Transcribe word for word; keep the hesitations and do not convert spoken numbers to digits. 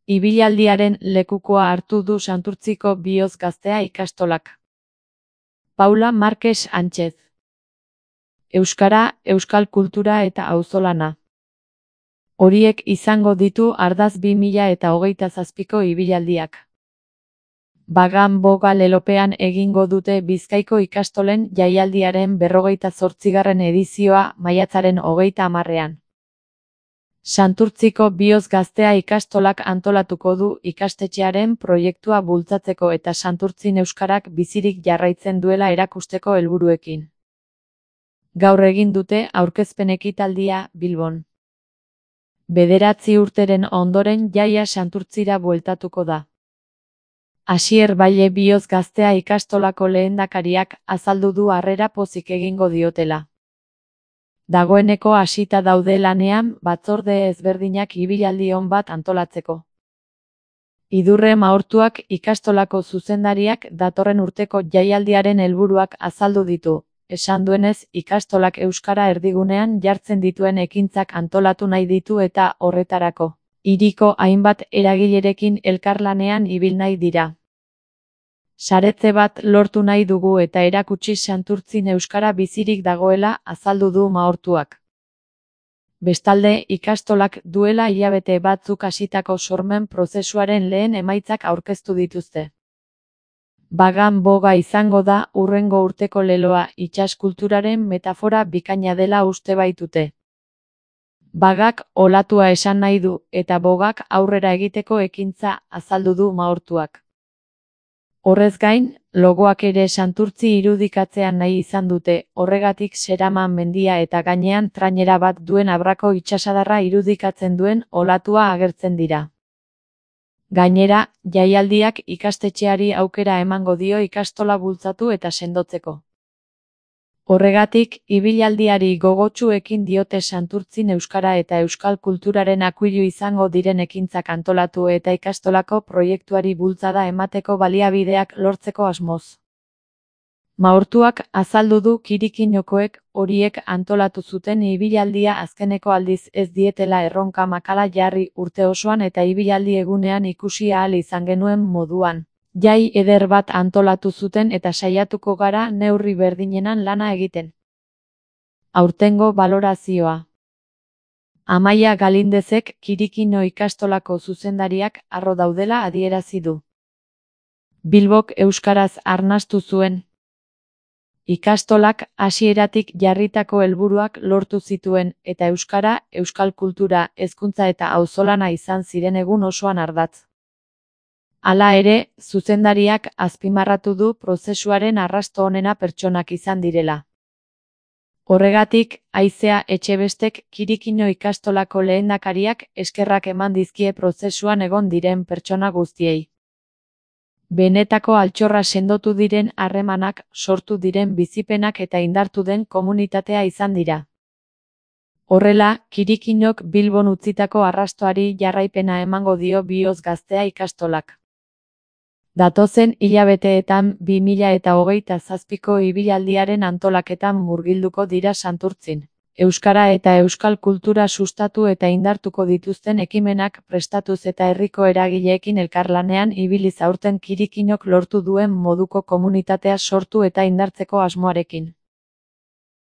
Ibilaldiaren lekukoa hartu du Santurtziko Bihotz Gaztea ikastolak. Paula Marques Sánchez. Euskara, euskal kultura eta auzolana. Horiek izango ditu ardatz bi mila eta hogeita zazpiko ibilaldiak. Bagan boga lelopean egingo dute Bizkaiko ikastolen jaialdiaren berrogeita zortzigarren edizioa maiatzaren hogeita hamarrean. Santurtziko Bihotz Gaztea ikastolak antolatuko du ikastetxearen proiektua bultzatzeko eta Santurtzin euskarak bizirik jarraitzen duela erakusteko helburuekin. Gaur egin dute aurkezpen ekitaldia Bilbon. Bederatzi urteren ondoren jaia Santurtzira bueltatuko da. Asier Baile Bihotz Gaztea ikastolako lehendakariak azaldu du harrera pozik egingo diotela. Dagoeneko hasita daude lanean batzorde ezberdinak ibilaldi on bat antolatzeko. Idurre Maortuak ikastolako zuzendariak datorren urteko jaialdiaren helburuak azaldu ditu. Esan duenez, ikastolak euskara erdigunean jartzen dituen ekintzak antolatu nahi ditu eta horretarako hiriko hainbat eragilerekin elkarlanean ibil nahi dira. Saretze bat lortu nahi dugu eta erakutsi Santurtzin euskara bizirik dagoela azaldu du Maortuak. Bestalde, ikastolak duela hilabete batzuk hasitako sormen prozesuaren lehen emaitzak aurkeztu dituzte. Bagan boga izango da hurrengo urteko leloa itsas kulturaren metafora bikaina dela uste baitute. Bagak olatua esan nahi du eta bogak aurrera egiteko ekintza azaldu du Maortuak. Horrez gain, logoak ere Santurtzi irudikatzean nahi izan dute, horregatik Seraman mendia eta gainean trainera bat duen abrako itsasadarra irudikatzen duen olatua agertzen dira. Gainera, jaialdiak ikastetxeari aukera emango dio ikastola bultzatu eta sendotzeko. Horregatik, ibilaldiari gogotsu ekin diote Santurtzin euskara eta euskal kulturaren akuilu izango diren ekintzak antolatu eta ikastolako proiektuari bultzada emateko baliabideak lortzeko asmoz. Maortuak azaldu du kirikinokoek horiek antolatu zuten ibilaldia azkeneko aldiz ez dietela erronka makala jarri urte osoan eta ibilaldi egunean ikusi ahal izan genuen moduan. Jai eder bat antolatu zuten eta saiatuko gara neurri berdinenan lana egiten. Aurtengo balorazioa. Amaia Galindezek Kirikino ikastolako zuzendariak harro daudela adierazi du. Bilbok euskaraz arnastu zuen. Ikastolak hasieratik jarritako helburuak lortu zituen eta euskara, euskal kultura, hezkuntza eta auzolana izan ziren egun osoan ardatz. Hala ere, zuzendariak azpimarratu du prozesuaren arrasto onena pertsonak izan direla. Horregatik, Aizea Etxebestek Kirikino ikastolako lehendakariak eskerrak eman dizkie prozesuan egon diren pertsona guztiei. Benetako altxorra sendotu diren harremanak, sortu diren bizipenak eta indartu den komunitatea izan dira. Horrela, Kirikinok Bilbon utzitako arrastoari jarraipena emango dio Bihotz Gaztea ikastolak. Datozen hilabeteetan bi mila eta hogeita zazpiko ibilaldiaren antolaketan murgilduko dira Santurtzin. Euskara eta euskal kultura sustatu eta indartuko dituzten ekimenak prestatuz eta herriko eragileekin elkarlanean ibiliz aurten Kirikinok lortu duen moduko komunitatea sortu eta indartzeko asmoarekin.